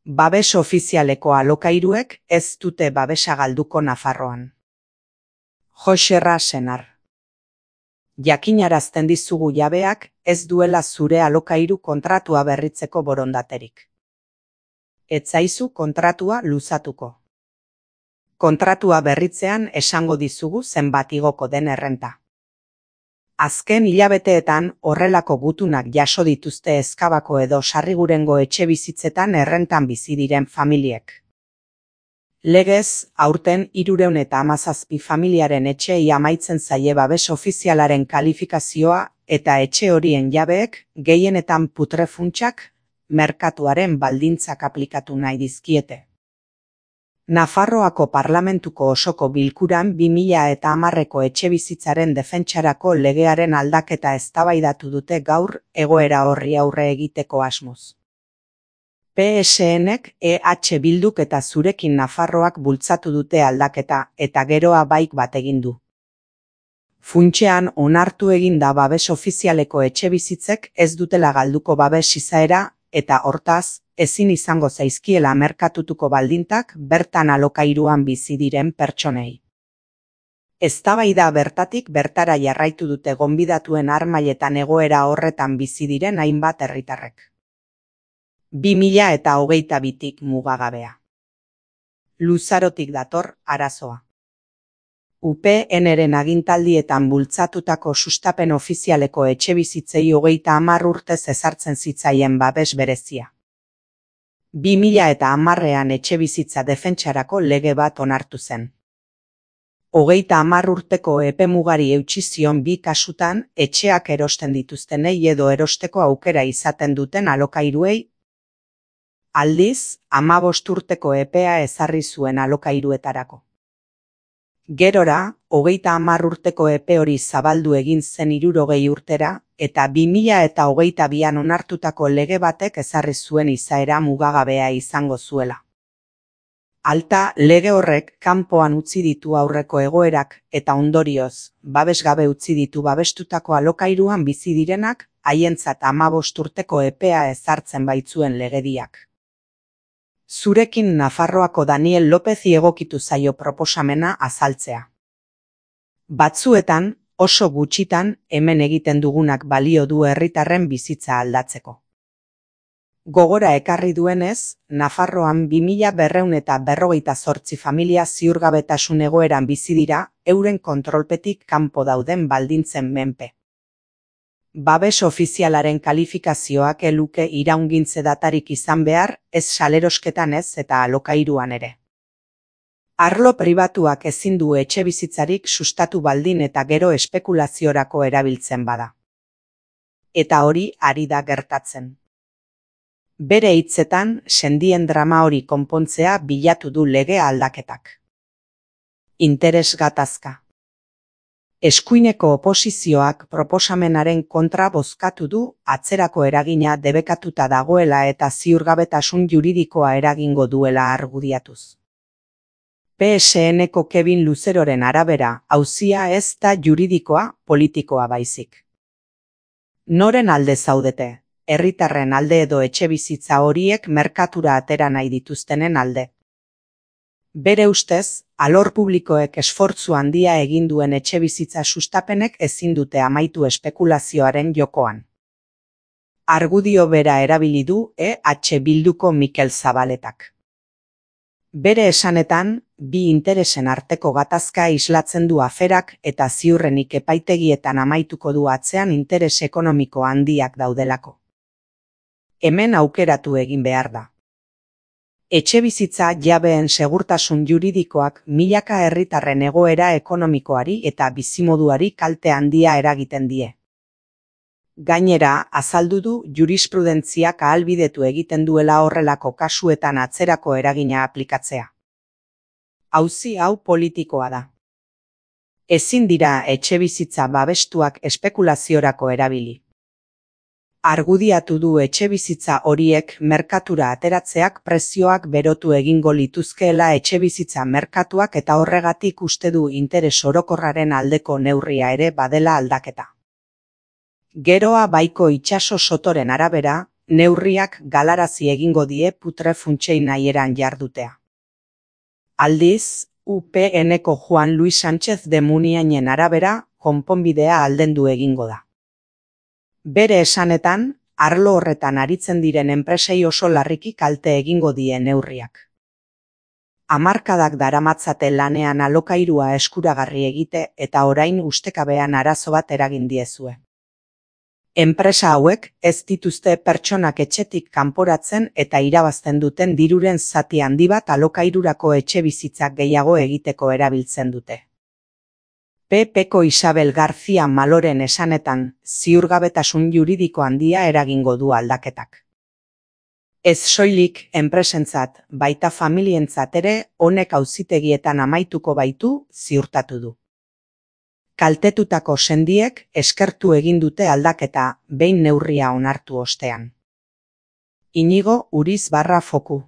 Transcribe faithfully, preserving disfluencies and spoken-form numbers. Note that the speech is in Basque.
Babes ofizialeko alokairuek ez dute babesa galduko Nafarroan. Joxerra Senar. Jakinarazten dizugu jabeak ez duela zure alokairu kontratua berritzeko borondaterik. Ez zaizu kontratua luzatuko. Kontratua berritzean esango dizugu zenbat igoko den errenta. Azken hilabeteetan horrelako gutunak jaso dituzte Ezkabako edo Sarrigurengo etxe bizitzetan errentan bizi diren familiek. Legez, aurten hirurehun eta hamazazpi familiaren etxeei amaitzen zaie babes ofizialaren kalifikazioa eta etxe horien jabeek gehienetan putrefuntsak merkatuaren baldintzak aplikatu nahi dizkiete. Nafarroako Parlamentuko osoko bilkuran bi mila eta hamarreko etxebizitzaren defentsarako legearen aldaketa eztabaidatu dute gaur egoera horri aurre egiteko asmoz. P S Nek E H Bilduk eta Zurekin Nafarroak bultzatu dute aldaketa eta geroa baik bat egin du. Funtsean onartu egin da babes ofizialeko etxebizitzek ez dutela galduko babes izaera eta hortaz, ezin izango zaizkiela merkatutuko baldintak bertan alokairuan bizi diren pertsonei. Eztabaida bertatik bertara jarraitu dute gonbidatuen harmailetan egoera horretan bizi diren hainbat herritarrek. bi mila eta hogeita bitik mugagabea. Luzarotik dator arazoa. U P Nren agintaldietan bultzatutako sustapen ofizialeko etxebizitzei hogeita hamar urtez ezartzen zitzaien babes berezia. bi mila eta hamarrean etxebizitza defentsarako lege bat onartu zen. Hogeita hamar urteko epemugari eutsi zion bi kasutan etxeak erosten dituztenei edo erosteko aukera izaten duten alokairuei. Aldiz, hamabost urteko epea ezarri zuen alokairuetarako. Gerora, hogeita hamar urteko epe hori zabaldu egin zen hirurogei urtera, eta bi mila eta hogeita bian onartutako lege batek ezarri zuen izaera mugagabea izango zuela. Alta, lege horrek kanpoan utzi ditu aurreko egoerak eta ondorioz, babesgabe utzi ditu babestutako alokairuan bizi direnak, haientzat hamabost urteko epea ezartzen baitzuen legediak. Zurekin Nafarroako Daniel Lopezi egokitu zaio proposamena azaltzea. Batzuetan, oso gutxitan, hemen egiten dugunak balio du herritarren bizitza aldatzeko. Gogora ekarri duenez, Nafarroan bi mila berrehun eta berrogeita zortzi familia ziurgabetasun egoeran bizi dira, euren kontrolpetik kanpo dauden baldintzen menpe. Babes ofizialaren kalifikazioak eluke iraungintze datarik izan behar, ez salerosketan ez eta alokairuan ere. Arlo pribatuak ezin du etxebizitzarik sustatu baldin eta gero espekulaziorako erabiltzen bada. Eta hori ari da gertatzen. Bere hitzetan, sendien drama hori konpontzea bilatu du lege aldaketak. Interes gatazka. Eskuineko oposizioak proposamenaren kontra bozkatu du atzerako eragina debekatuta dagoela eta ziurgabetasun juridikoa eragingo duela argudiatuz. P S Nko Kevin Luzeroren arabera, auzia ez da juridikoa, politikoa baizik. Noren alde zaudete, herritarren alde edo etxebizitza horiek merkatura atera nahi dituztenen alde? Bere ustez, alor publikoek esfortzu handia egin duen etxebizitza sustapenek ezin dute amaitu espekulazioaren jokoan. Argudio bera erabili du E H Bilduko Mikel Zabaletak. Bere esanetan, bi interesen arteko gatazka islatzen du aferak eta ziurrenik epaitegietan amaituko du atzean interes ekonomiko handiak daudelako. Hemen aukeratu egin behar da. Etxebizitza jabeen segurtasun juridikoak milaka herritarren egoera ekonomikoari eta bizimoduari kalte handia eragiten die. Gainera, azaldu du jurisprudentziak ahalbidetu egiten duela horrelako kasuetan atzerako eragina aplikatzea. Auzi hau politikoa da. Ezin dira etxebizitza babestuak espekulaziorako erabili. Argudiatu du etxebizitza horiek merkatura ateratzeak prezioak berotu egingo lituzkeela etxebizitza merkatuak eta horregatik uste du interes orokorraren aldeko neurria ere badela aldaketa. Geroa Baiko itsaso sotoren arabera, neurriak galarazi egingo die putre funtsei nahieran jardutea. Aldiz, U P N-ko Juan Luis Sánchez de Muniainen arabera, konponbidea aldendu egingo da. Bere esanetan, arlo horretan aritzen diren enpresei oso larriki kalte egingo die neurriak. Hamarkadak daramatzate lanean alokairua eskuragarri egite eta orain ustekabean arazo bat eragin diezue. Enpresa hauek ez dituzte pertsonak etxetik kanporatzen eta irabazten duten diruren zati handi bat alokairurako etxebizitzak gehiago egiteko erabiltzen dute. P P-ko Isabel García Maloren esanetan, ziurgabetasun juridiko handia eragingo du aldaketak. Ez soilik enpresentzat, baita familientzat ere honek auzitegietan amaituko baitu ziurtatu du. Kaltetutako sendiek eskertu egin dute aldaketa behin neurria onartu ostean. Inigo Uriz barra foku.